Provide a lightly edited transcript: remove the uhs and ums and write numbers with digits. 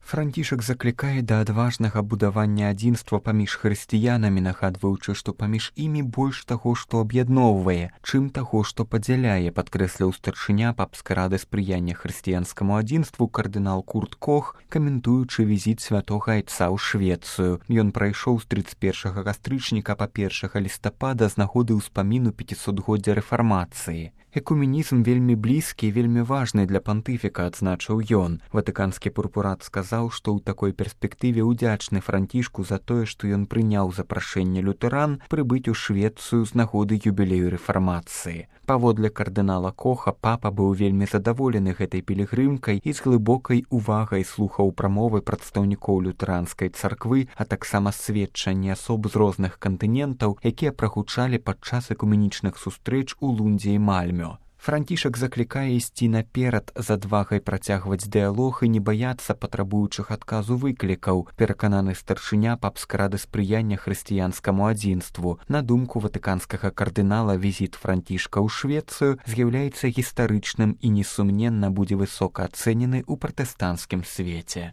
Францішак заклікае да адважнага будавання адзінства паміж хрысціянамі, нагадваючы, што паміж імі больш таго, што аб'ядноўвае, чым таго, што падзяляе, падкрэсліў старшыня папскай рады спрыяння хрысціянскаму адзінству кардынал Курт Кох, каментуючы візіт святога айца ў Швецыю. Ён прайшоў з 31 кастрычніка па 1 лістапада з нагоды ўспаміну 500-годдзя рэфармацыі. Экуменізм вельмі блізкі і вельмі важны для пантыфіка, адзначыў ён. Ватыканскі пурпурат сказаў, што ў такой перспектыве ўдзячны Францішку за тое, што ён прыняў запрашэнне лютэран прыбыць у Швецыю з нагоды юбілею рэфармацыі. Паводле кардынала Коха, папа быў вельмі задаволены гэтай пілігрымкай і з глыбокай увагай слухаў прамовы прадстаўнікоў лютэранскай царквы, а таксама сведчанні асоб з розных кантынентаў, якія прагучалі падчас экуменічных сустрэч у Лундзе і Мальмё. Францішак заклікае ісці наперад з адвагай працягваць дыялог і не баяцца патрабуючых адказу выклікаў, перакананы старшыня папскай рады спрыяння хрысціянскаму адзінству. На думку ватыканскага кардынала, візіт Францішка ў Швецыю з'яўляецца гістарычным і несумненна будзе высока ацэнены ў пратэстанцкім свеце.